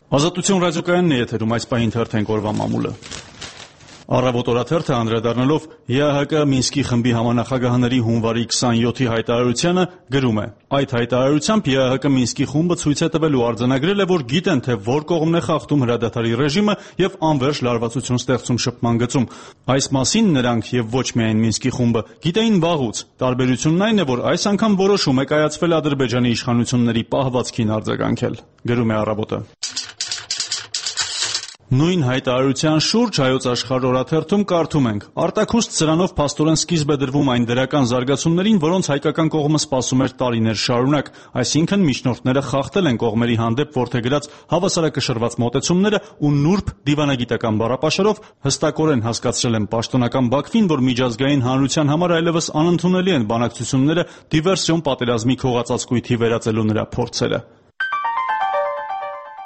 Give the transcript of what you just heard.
Ազատություն ռադիոկայանն է եթերում, այս պահին թերթենք օրվա մամուլը։ Առավոտ օրաթերթը անդրադառնալով ԵԱՀԿ Մինսկի խմբի համանախագահների հունվարի 27-ի հայտարարությանը գրում է. այդ հայտարարությամբ ԵԱՀԿ Մինսկի խումբը ցույց է տվել ու արձանագրել է, որ գիտեն, թե որ կողմն է խախտում հրադադարի ռեժիմը եւ անվերջ լարվածություն ստեղծում շփման գծում։ Այս մասին նրանք եւ ոչ միայն Մինսկի խումբը գիտեին վաղուց։ Տարբերությունն այն է, որ այս անգամ որոշում է կայացվել Ադրբեջանի իշխանությունների պահվածքին արձագանքել, գրում է Առավոտը։ Նույն հայտարարության շուրջ Հայոց Աշխարհ օրաթերթում կարդում ենք. արտաքուստ սրանով փաստորեն սկիզբ է դրվում այն դրական զարգացումներին, որոնց հայկական կողմը սպասում էր տարիներ շարունակ, այսինքն միջնորդները խախտել են կողմերի հանդեպ որդեգրած հավասարակշռված մոտեցումները ու նուրբ դիվանագիտական բառապաշարով հստակորեն հասկացրել են պաշտոնական Բաքվին, որ միջազգային հանրության համար այլևս անընդունելի են բանակցությունները դիվերսիոն պատերազմի քողածածկույթի վերածելու նրա փորձերը։